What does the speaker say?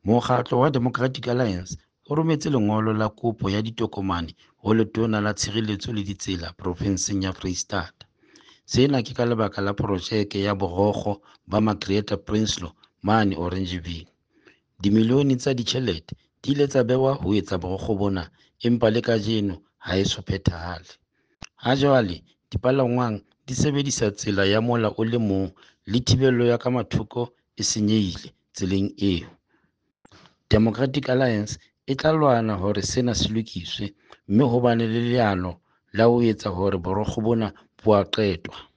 Mokgatlo wa Democratic Alliance o rometse lengolo la kopo ya ditokomane ho Letona la Tshireletso le Ditsela profenseng ya Freistata. Sena ke ka lebaka la projeke ya borokgo ba Magrieta Prinsloo mane Oranjeville. Dimilione tsa ditjhelete di ile tsa bewa ho etsa borokgo bona, empa le kajeno ha e so phethahale. Ha jwale dipalangwang di sebedisa tsela ya mola o le mong le thibelo ya ka mathoko e senyehile tseleng eo. Democratic Alliance e tla lwana hore sena se lokiswe, mme ho bane le leano la ho etsa hore borokgo bona bo a qetwa.